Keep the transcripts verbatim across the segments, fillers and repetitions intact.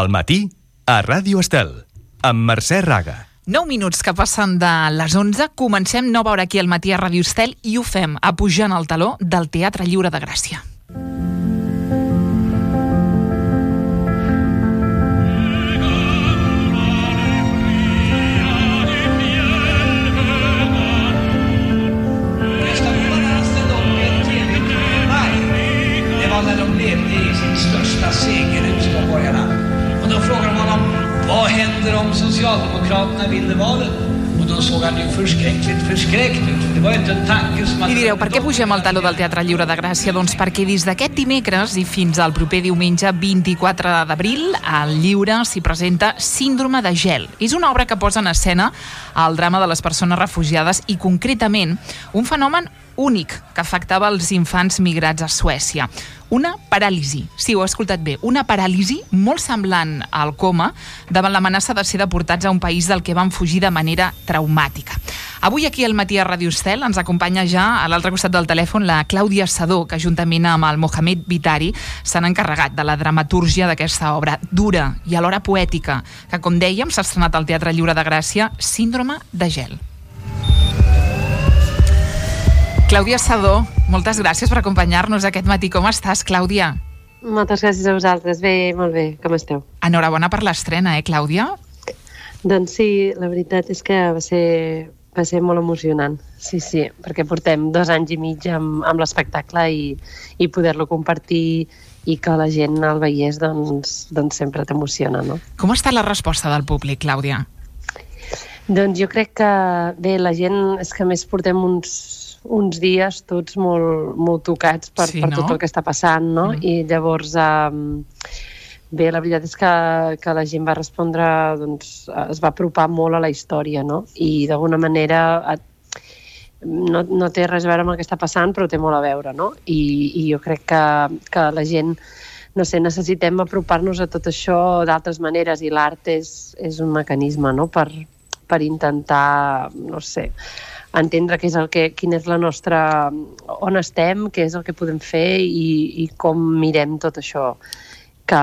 Al matí, a Ràdio Estel, amb Mercè Raga. nou minuts que passen de les onze, comencem nova hora aquí al matí a Ràdio Estel i ho fem apujant el taló del Teatre Lliure de Gràcia. Vad händer om Socialdemokraterna vinner valet? Och då såg han ju förskräckligt förskräckt ut. Det var ju inte en tanke som... I direu, per què pugem al taló del Teatre Lliure de Gràcia? Doncs perquè des d'aquest dimecres i fins al proper diumenge vint-i-quatre d'abril al Lliure s'hi presenta Síndrome de gel. És una obra que posa en escena el drama de les persones refugiades i concretament un fenomen únic que afectava els infants migrats a Suècia. Una paràlisi, sí, ho he escoltat bé, una paràlisi molt semblant al coma davant l'amenaça de ser deportats a un país del que van fugir de manera traumàtica. Avui aquí al matí a Ràdio Estel ens acompanya ja a l'altre costat del telèfon la Clàudia Sedó, que juntament amb el Mohamed Vitari s'han encarregat de la dramatúrgia d'aquesta obra dura i alhora poètica, que com dèiem s'ha estrenat al Teatre Lliure de Gràcia, Síndrome de gel. Clàudia Sedó, moltes gràcies per acompanyar-nos aquest matí. Com estàs, Clàudia? Moltes gràcies a vosaltres. Bé, molt bé. Com esteu? Enhorabona per l'estrena, eh, Clàudia? Doncs sí, la veritat és que va ser, va ser molt emocionant. Sí, sí, perquè portem dos anys i mig amb, amb l'espectacle i, i poder-lo compartir i que la gent el veiés, doncs, doncs sempre t'emociona, no? Com ha estat la resposta del públic, Clàudia? Doncs jo crec que, bé, la gent, és que més portem uns uns dies tots molt, molt tocats per, sí, per no? tot el que està passant, no? Mm. I llavors, eh, bé, la veritat és que, que la gent va respondre, doncs, es va apropar molt a la història, no? I d'alguna manera et, no, no té res a veure amb el que està passant, però té molt a veure, no? I, i jo crec que, que la gent, no sé, necessitem apropar-nos a tot això d'altres maneres i l'art és, és un mecanisme, no? Per, per intentar, no sé, entendre què és el que, quina és la nostra... on estem, què és el que podem fer i, i com mirem tot això que,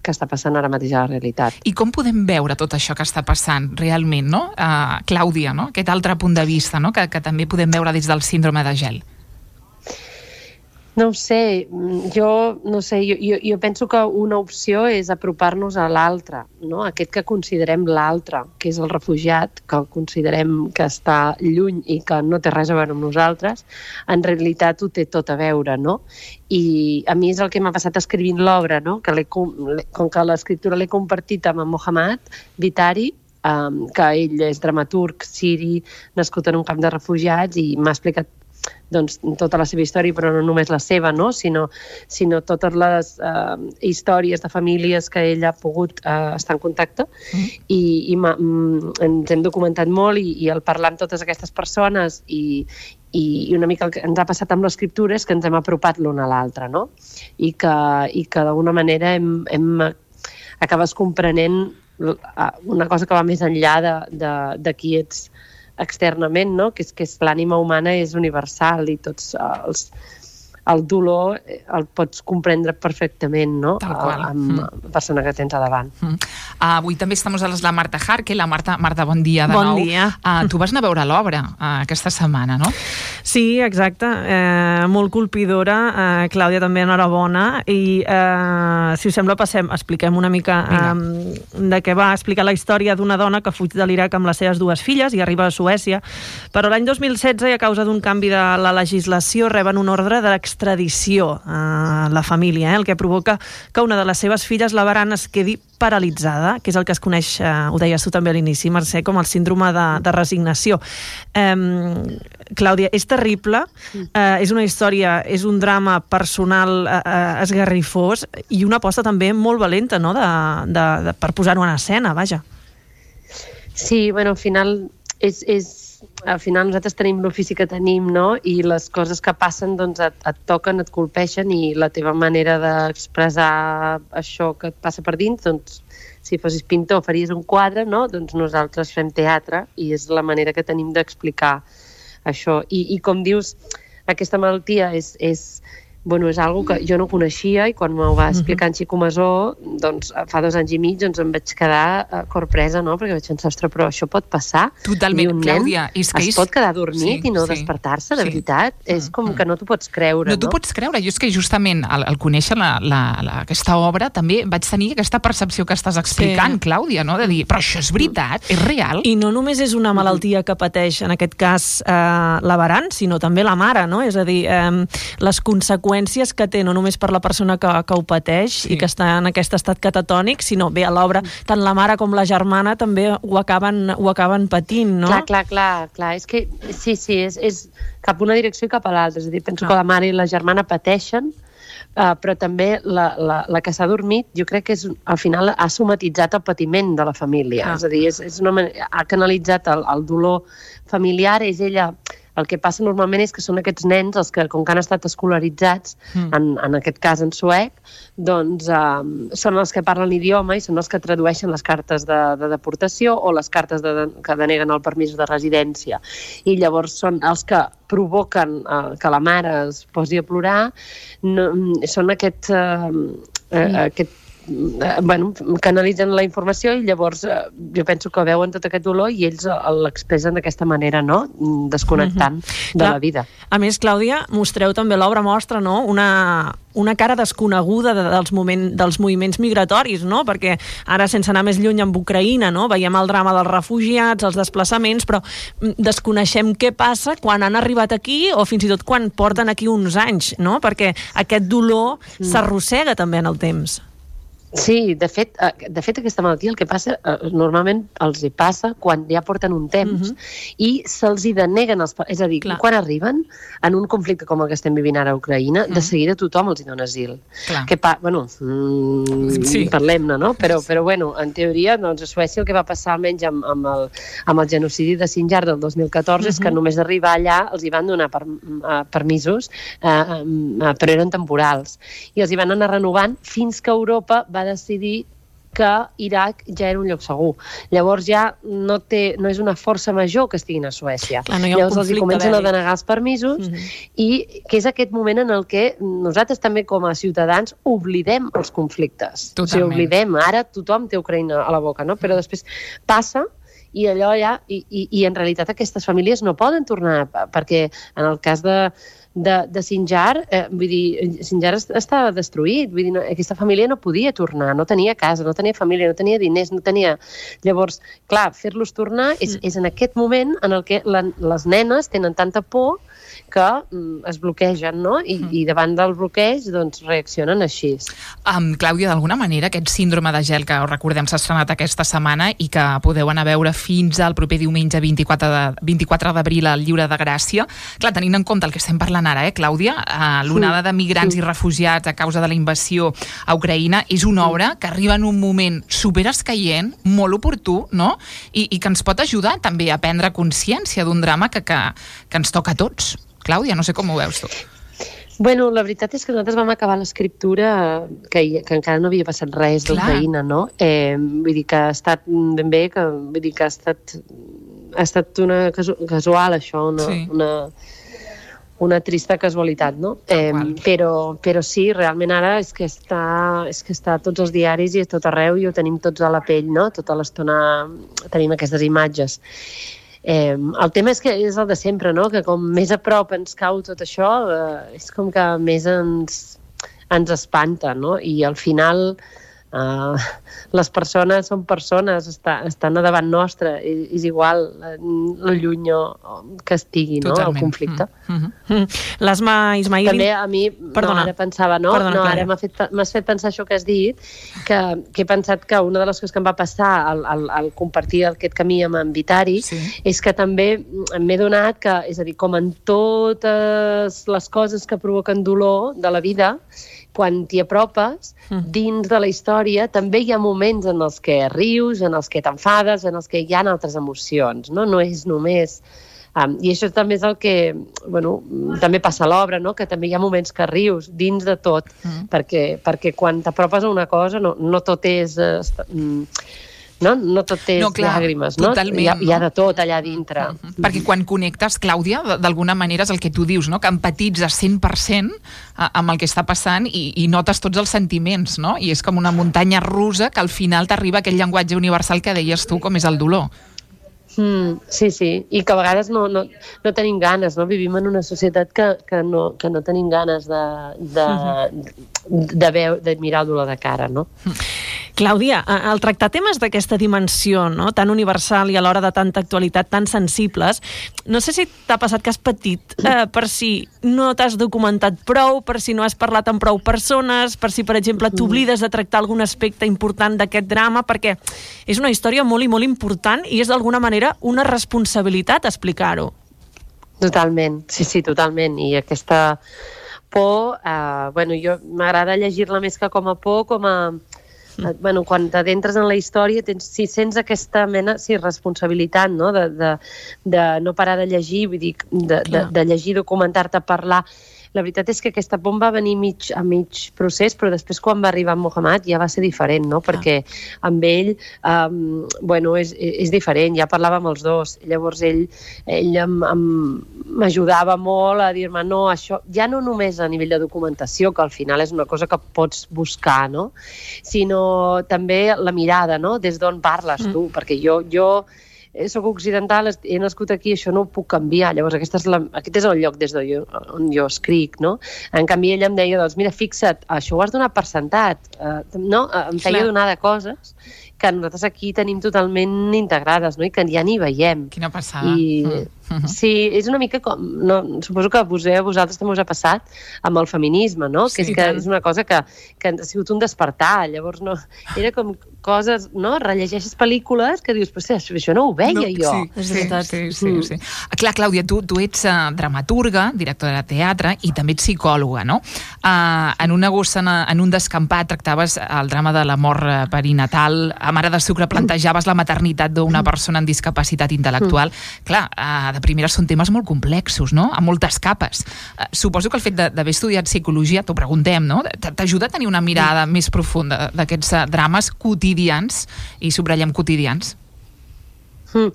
que està passant ara mateix a la realitat. I com podem veure tot això que està passant realment, no? Uh, Clàudia, no? Aquest altre punt de vista, no? Que, que també podem veure des del síndrome de gel. No ho sé, jo, no sé, jo, jo, jo penso que una opció és apropar-nos a l'altre, no? Aquest que considerem l'altre, que és el refugiat, que el considerem que està lluny i que no té res a veure amb nosaltres, en realitat ho té tot a veure, no? I a mi és el que m'ha passat escrivint l'obra, no? Que com que l'escriptura l'he compartit amb en Mohamed Vitari, um, que ell és dramaturg siri, nascut en un camp de refugiats, i m'ha explicat doncs, tota la seva història, però no només la seva, no? sinó, sinó totes les uh, històries de famílies que ell ha pogut uh, estar en contacte mm. i, i mm, ens hem documentat molt i, i al parlar amb totes aquestes persones i, i, i una mica el que ens ha passat amb l'escriptura és que ens hem apropat l'un a l'altre, no? I que, i que d'alguna manera hem, hem acabes comprenent una cosa que va més enllà de, de, de qui ets externament, no? Que és que l'ànima humana és universal i tots els, el dolor el pots comprendre perfectament, no? Tal qual. Amb mm. la persona que tens a davant. Mm. Uh, avui també estem a la Marta Jarque. La Marta, Marta, bon dia de bon nou. Bon dia. Uh, tu vas anar a veure l'obra uh, aquesta setmana, no? Sí, exacte. Eh, molt colpidora. Eh, Clàudia, també enhorabona. I, eh, si us sembla, passem, expliquem una mica eh, de què va explicar la història d'una dona que fuig de l'Iraq amb les seves dues filles i arriba a Suècia. Però l'any dos mil setze, i a causa d'un canvi de la legislació, reben un ordre d'extradició a la família, eh, el que provoca que una de les seves filles, la Baran, es quedi paralitzada, que és el que es coneix, eh, ho deies tu també a l'inici, Mercè, com el síndrome de, de resignació. Eh, Clàudia, és terrible, eh, és una història, és un drama personal eh, esgarrifós i una aposta també molt valenta, no?, de, de, de, per posar-ho en escena, vaja. Sí, bueno, al final és, és al final nosaltres tenim l'ofici que tenim, no? I les coses que passen doncs et, et toquen, et colpeixen i la teva manera d'expressar això que et passa per dins, doncs si fossis pintor faries un quadre, no? Doncs nosaltres fem teatre i és la manera que tenim d'explicar això. I, i com dius, aquesta malaltia és, és bueno, és algo que jo no coneixia i quan m'ho va explicar en Xico Masó, doncs fa dos anys i mig doncs em vaig quedar uh, corpresa, no? Perquè vaig pensar, ostres, però això pot passar? Totalment, Clàudia. És que es és... pot quedar dormit sí, i no sí, despertar-se, de sí. veritat? Mm, és com mm. que no t'ho pots creure, no? No t'ho pots creure. Jo és que justament al, al conèixer la, la, la, aquesta obra també vaig tenir aquesta percepció que estàs explicant, sí. Clàudia, no? De dir, però això és veritat, és real. I no només és una malaltia que pateix, en aquest cas, eh, l'averant, sinó també la mare, no? És a dir, eh, les conseqüències que té, no només per la persona que, que ho pateix sí. i que està en aquest estat catatònic, sinó bé, a l'obra, tant la mare com la germana també ho acaben, ho acaben patint, no? Clar, clar, clar, clar. És que sí, sí, és, és cap una direcció i cap a l'altra. És a dir, penso ah. que la mare i la germana pateixen, uh, però també la, la, la que s'ha dormit, jo crec que és, al final ha somatitzat el patiment de la família. Ah. És a dir, és, és una, ha canalitzat el, el dolor familiar, és ella... El que passa normalment és que són aquests nens, els que, com que han estat escolaritzats, mm. en, en aquest cas en suec, doncs um, són els que parlen l'idioma i són els que tradueixen les cartes de, de deportació o les cartes de, de, que deneguen el permís de residència. I llavors són els que provoquen uh, que la mare es posi a plorar, no, són aquest... Uh, uh, aquest bueno, canalitzen la informació i llavors eh, jo penso que veuen tot aquest dolor i ells l'expressen d'aquesta manera, no? Desconnectant mm-hmm. de Clar, la vida. A més, Clàudia, mostreu també, l'obra mostra, no? una, una cara desconeguda de, dels, moment, dels moviments migratoris, no? Perquè ara, sense anar més lluny amb Ucraïna, no? Veiem el drama dels refugiats, els desplaçaments, però desconeixem què passa quan han arribat aquí o fins i tot quan porten aquí uns anys, no? Perquè aquest dolor mm. s'arrossega també en el temps. Sí, de fet, de fet aquesta malaltia el que passa, normalment els hi passa quan ja porten un temps uh-huh. i se'ls hi deneguen els... És a dir, Clar. quan arriben en un conflicte com el que estem vivint ara a Ucraïna, uh-huh. de seguida tothom els hi dona asil. Que pa... Bueno, mm, sí. parlem-ne, no? Però, però bueno, en teoria, doncs a Suècia el que va passar almenys amb, amb, el, amb el genocidi de Sinjar del dos mil catorze uh-huh. és que només d'arribar allà els hi van donar per, uh, permisos, uh, uh, però eren temporals. I els hi van anar renovant fins que Europa va decidir que Iraq ja era un lloc segur. Llavors ja no, té, no és una força major que estiguin a Suècia. Clar, no Llavors els hi comencen a denegar els permisos mm-hmm. i que és aquest moment en el que nosaltres també com a ciutadans oblidem els conflictes. Totalment. O sigui, oblidem. Ara tothom té Ucraïna a la boca, no? Però després passa i allò ja... I, i, i en realitat aquestes famílies no poden tornar perquè en el cas de de, de Sinjar, eh, vull dir, Sinjar estava destruït, vull dir, no, aquesta família no podia tornar, no tenia casa, no tenia família, no tenia diners, no tenia... Llavors, clar, fer-los tornar és, és en aquest moment en el que la, les nenes tenen tanta por que mm, es bloquegen, no? I, mm. i davant del bloqueig, doncs, reaccionen així. Um, Clàudia, d'alguna manera, aquest síndrome de gel que, recordem, s'ha estrenat aquesta setmana i que podeu anar a veure fins al proper diumenge vint-i-quatre d'abril al Lliure de Gràcia. Clar, tenint en compte el que estem parlant ara, eh, Clàudia, uh, l'onada de migrants sí. i refugiats a causa de la invasió a Ucraïna és una obra que arriba en un moment superescaient, molt oportú, no? I, i que ens pot ajudar també a prendre consciència d'un drama que, que, que ens toca a tots. Clàudia, no sé com ho veus tu. Bueno, la veritat és que nosaltres vam acabar l'escriptura que, que encara no havia passat res d'Ucraïna, no? Eh, vull dir que ha estat ben bé, que, vull dir que ha estat, ha estat una casu casual, això, una, sí. una, una trista casualitat, no? Eh, però, però sí, realment ara és que, està, és que està a tots els diaris i a tot arreu i ho tenim tots a la pell, no? Tota l'estona tenim aquestes imatges. Eh, el tema és que és el de sempre, no? Que com més a prop ens cau tot això, eh, és com que més ens, ens espanta, no? I al final eh, les persones són persones, està, estan a davant nostre, és, és igual lo lluny que estigui, no? El conflicte. Mm -hmm. L'Asma Ismail... També a mi, Perdona. no, ara pensava, no? Perdona, no ara m'has fet, fet pensar això que has dit, que, que he pensat que una de les coses que em va passar al, al, al compartir aquest camí amb en Vitari sí. és que també m'he donat que, és a dir, com en totes les coses que provoquen dolor de la vida, quan t'hi apropes, mm. dins de la història també hi ha moments en els que rius, en els que t'enfades, en els que hi ha altres emocions, no? No és només... Um, I això també és el que, bueno, també passa a l'obra, no? Que també hi ha moments que rius dins de tot, mm. perquè, perquè quan t'apropes a una cosa no, no tot és... Uh, no? No tot és no, clar, llàgrimes, no? Totalment, hi ha, no? hi ha de tot allà dintre. Uh -huh. Perquè quan connectes, Clàudia, d'alguna manera és el que tu dius, no? Que empatitzes cent per cent amb el que està passant i, i notes tots els sentiments, no? I és com una muntanya russa que al final t'arriba aquell llenguatge universal que deies tu, com és el dolor. Mm, sí, sí, i que a vegades no, no, no tenim ganes, no? Vivim en una societat que, que, no, que no tenim ganes de, de, uh-huh. de, veu, de mirar el dolor de cara, no? Clàudia, al tractar temes d'aquesta dimensió, no? Tan universal i alhora de tanta actualitat, tan sensibles, no sé si t'ha passat que has patit eh, per si no t'has documentat prou, per si no has parlat amb prou persones, per si, per exemple, t'oblides de tractar algun aspecte important d'aquest drama, perquè és una història molt i molt important i és d'alguna manera una responsabilitat explicar-ho. Totalment, sí, sí, totalment. I aquesta por, eh, bueno, jo m'agrada llegir-la més que com a por, com a... Mm. Bueno, quan t'adentres en la història, tens, si sents aquesta mena, sí, responsabilitat, no?, de, de, de no parar de llegir, vull dir, de, de, de llegir, documentar-te, parlar. La veritat és que aquesta por va venir mig, a mig procés, però després quan va arribar Mohamed ja va ser diferent, no? Perquè amb ell, um, bueno, és, és diferent, ja parlàvem els dos. Llavors ell, ell m'ajudava molt a dir-me, no, això, ja no només a nivell de documentació, que al final és una cosa que pots buscar, no?, sinó també la mirada, no?, des d'on parles tu, mm. perquè jo... jo soc occidental, he nascut aquí, això no ho puc canviar. Llavors, aquesta és la, aquest és el lloc des d'on jo, on jo escric, no? En canvi, ella em deia, doncs, mira, fixa't, això ho has donat per sentat, uh, no? Em feia donar de coses que nosaltres aquí tenim totalment integrades, no? I que ja ni veiem. Quina passada. I, mm. Sí, és una mica com... No, suposo que a vosaltres també us ha passat amb el feminisme, no? Sí, que és que tant. És una cosa que, que ha sigut un despertar. Llavors, no, era com coses, no? Rellegeixes pel·lícules que dius, però això no ho veia no, jo. Sí, és veritat. Sí, sí, mm. sí, sí. Clar, Clàudia, tu, tu ets uh, dramaturga, directora de teatre i també ets psicòloga, no? Uh, en una gossa, en un descampat, tractaves el drama de la mort perinatal, a Mare de Sucre plantejaves la maternitat d'una persona amb discapacitat intel·lectual. Mm. Clar, uh, de primera són temes molt complexos, no? Amb moltes capes. Uh, suposo que el fet d'haver estudiat psicologia, t'ho preguntem, no? T'ajuda a tenir una mirada mm. més profunda d'aquests uh, drames quotidians, i subratllem quotidians. Mm.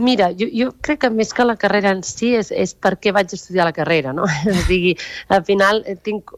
Mira, jo, jo crec que més que la carrera en si és, és per què vaig estudiar la carrera, no? O sigui, al final tinc,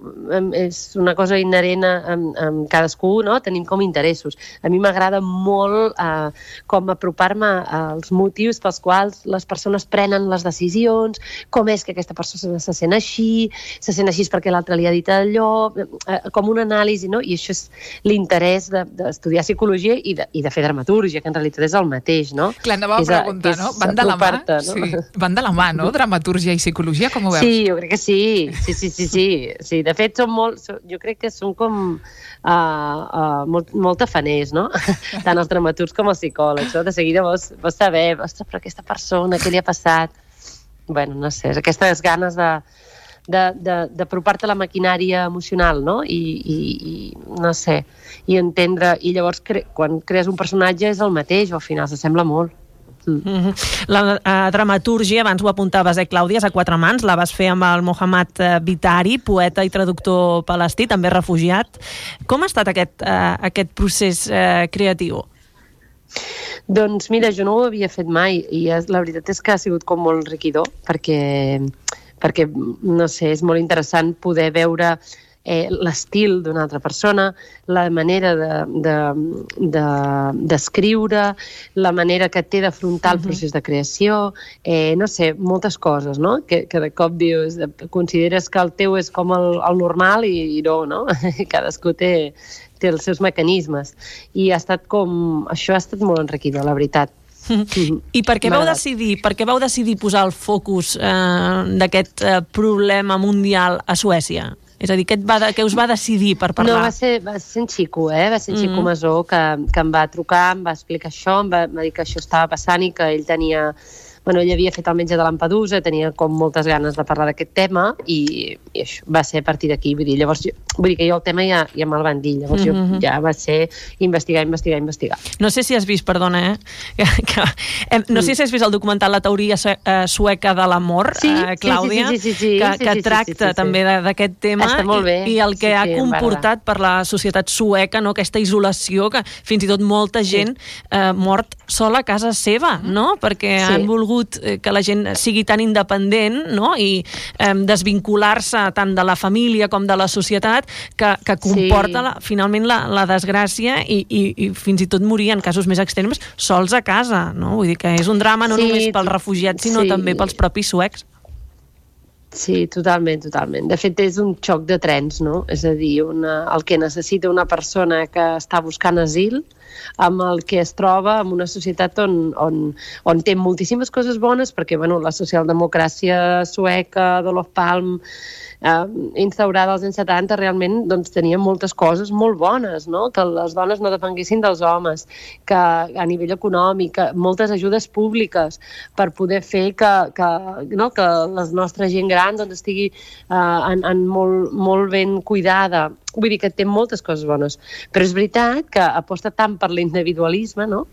és una cosa inherent amb, amb cadascú, no? Tenim com interessos. A mi m'agrada molt eh, com apropar-me als motius pels quals les persones prenen les decisions, com és que aquesta persona se sent així, se sent així perquè l'altre li ha dit allò, eh, com una anàlisi, no? I això és l'interès d'estudiar psicologia i de, i de fer dramaturgia, que en realitat és el mateix, no? Clar, anava a preguntar, no? Van de la mà, no? Sí. Van de la mà, no? Dramatúrgia i psicologia, com ho veus? Sí, jo crec que sí. Sí, sí, sí, sí. sí. De fet, són molt, jo crec que són com uh, uh, molt, molt tafaners, no? Tant els dramaturgs com els psicòlegs, no? De seguida vols, vols saber, ostres, però aquesta persona, què li ha passat? Bueno, no sé, aquestes ganes de d'apropar-te a la maquinària emocional, no? I, i, i no sé, i entendre, i llavors cre quan crees un personatge és el mateix, o al final s'assembla molt. Mm. Mm-hmm. La uh, dramatúrgia, abans ho apuntaves, eh, Clàudia, és a quatre mans, la vas fer amb el Mohamed uh, Bitari, poeta i traductor palestí, també refugiat. Com ha estat aquest, uh, aquest procés uh, creatiu? Doncs mira, jo no ho havia fet mai, i la veritat és que ha sigut com molt enriquidor, perquè perquè, no sé, és molt interessant poder veure eh, l'estil d'una altra persona, la manera d'escriure, de, de, la manera que té d'afrontar el procés de creació, eh, no sé, moltes coses, no? Que, que de cop dius, consideres que el teu és com el, el normal i, i no, no? Cadascú té, té els seus mecanismes. I ha estat com... Això ha estat molt enriquidor, la veritat. I per què vau decidir, per què vau decidir posar el focus eh, d'aquest eh, problema mundial a Suècia? És a dir, què, va, què us va decidir per parlar? No, va ser, va ser en Xico, eh? Va ser en Xico mm. Masó que, que em va trucar, em va explicar això, em va, em va dir que això estava passant i que ell tenia bueno, ell havia fet el Metge de Lampedusa, tenia com moltes ganes de parlar d'aquest tema i, i això va ser a partir d'aquí, vull dir, llavors jo, vull dir que jo el tema ja, ja me'l van dir, llavors mm-hmm. jo ja va ser investigar, investigar, investigar. No sé si has vist, perdona, eh? Que, que, eh no sé si has vist el documental La teoria sueca de l'amor, sí, eh, Clàudia, sí, sí, sí, sí, sí, que, sí, que sí, tracta sí, sí, sí. també d'aquest tema i, i el que sí, ha sí, comportat per la societat sueca, no? Aquesta isolació, que fins i tot molta gent sí. eh, mort sola a casa seva, no? Perquè sí. han volgut que la gent sigui tan independent, no? I eh, desvincular-se tant de la família com de la societat que, que comporta sí. la, finalment la, la desgràcia i, i, i fins i tot morir en casos més extrems sols a casa, no? Vull dir que és un drama no sí, només pels refugiats sinó sí. també pels propis suecs. Sí, totalment, totalment. De fet, és un xoc de trens, no? És a dir, una, el que necessita una persona que està buscant asil amb el que es troba en una societat on, on, on té moltíssimes coses bones, perquè bueno, la socialdemocràcia sueca d'Olof Palme eh, instaurada als anys setanta realment doncs, tenia moltes coses molt bones, no? Que les dones no depenguessin dels homes, que a nivell econòmic, moltes ajudes públiques per poder fer que, que, no? que la nostra gent gran doncs, estigui eh, en, en molt, molt ben cuidada. Vull dir que té moltes coses bones, però és veritat que aposta tant per l'individualisme, no?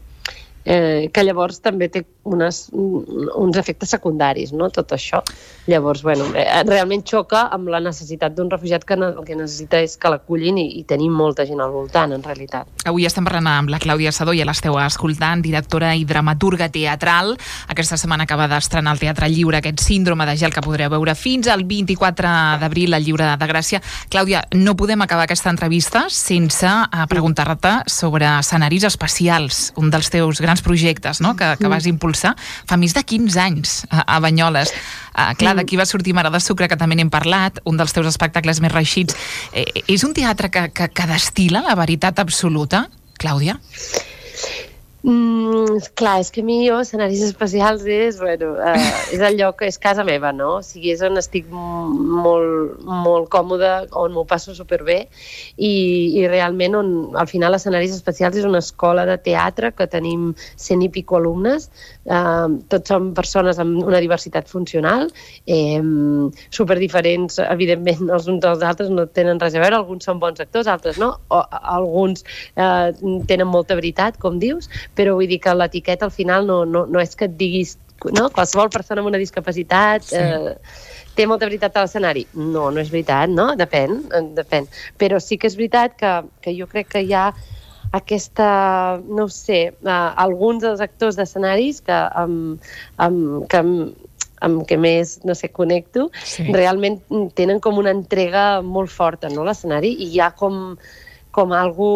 eh, que llavors també té unes, uns efectes secundaris, no? Tot això. Llavors, bueno, eh, realment xoca amb la necessitat d'un refugiat que el que necessita és que l'acullin i, i tenim molta gent al voltant, en realitat. Avui estem parlant amb la Clàudia Sedó, ja l'esteu escoltant, directora i dramaturga teatral. Aquesta setmana acaba d'estrenar al Teatre Lliure aquest Síndrome de gel que podreu veure fins al vint-i-quatre d'abril al Lliure de Gràcia. Clàudia, no podem acabar aquesta entrevista sense preguntar-te sobre escenaris especials, un dels teus grans projectes, no? que, que vas impulsar fa més de quinze anys a, a Banyoles. Uh, clar, d'aquí va sortir Mare de Sucre, que també n'hem parlat, un dels teus espectacles més reeixits. Eh, és un teatre que, que, que destil·la la veritat absoluta, Clàudia? Mm, clar, és que a mi jo escenaris especials és, bueno, eh, és el lloc, és casa meva, no? O sigui, és on estic molt, molt còmoda, on m'ho passo superbé i, i realment on, al final, escenaris especials és una escola de teatre que tenim cent i pico alumnes, eh, tots són persones amb una diversitat funcional, eh, superdiferents, evidentment, els uns dels altres no tenen res a veure, alguns són bons actors, altres no, o, alguns eh, tenen molta veritat, com dius, però vull dir que l'etiqueta al final no, no, no és que et diguis, no? Qualsevol persona amb una discapacitat sí. eh, té molta veritat a l'escenari. No, no és veritat, no? Depèn, depèn. Però sí que és veritat que, que jo crec que hi ha aquesta, no sé, eh, alguns dels actors d'escenaris que amb, amb, que amb, amb què més, no sé, connecto, sí. realment tenen com una entrega molt forta, no?, l'escenari, i hi ha com, com algú...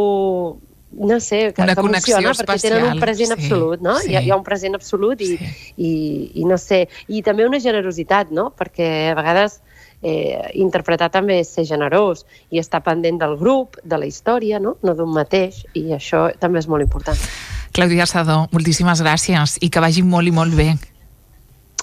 no sé, que, que emociona perquè tenen un present sí, absolut, no? Sí. Hi, ha, hi ha un present absolut i, sí. i, i no sé, i també una generositat, no? Perquè a vegades eh, interpretar també és ser generós i estar pendent del grup, de la història, no? No d'un mateix, i això també és molt important. Clàudia Sedó, moltíssimes gràcies i que vagi molt i molt bé.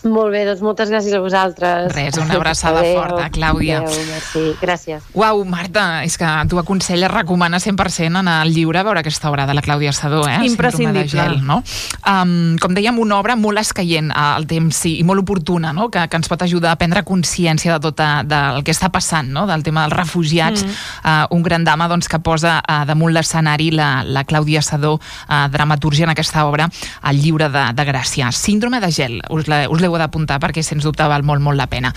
Molt bé, doncs moltes gràcies a vosaltres. Res, una abraçada adeu, forta, Clàudia. Adeu, merci, gràcies. Uau, Marta, és que tu aconselles, recomana cent per cent anar al Lliure a veure aquesta obra de la Clàudia Sedó, eh? Imprescindible. Síndrome de gel, no? Um, com dèiem, una obra molt escaient al temps i molt oportuna, no? Que, que ens pot ajudar a prendre consciència de tot a, del que està passant, no? Del tema dels refugiats. Mm. Uh, un gran dama doncs, que posa uh, damunt l'escenari la, la Clàudia Sedó, uh, dramatúrgia en aquesta obra al Lliure de, de Gràcia. Síndrome de gel, us, la, us l'heu d'apuntar perquè sens dubte val molt, molt la pena.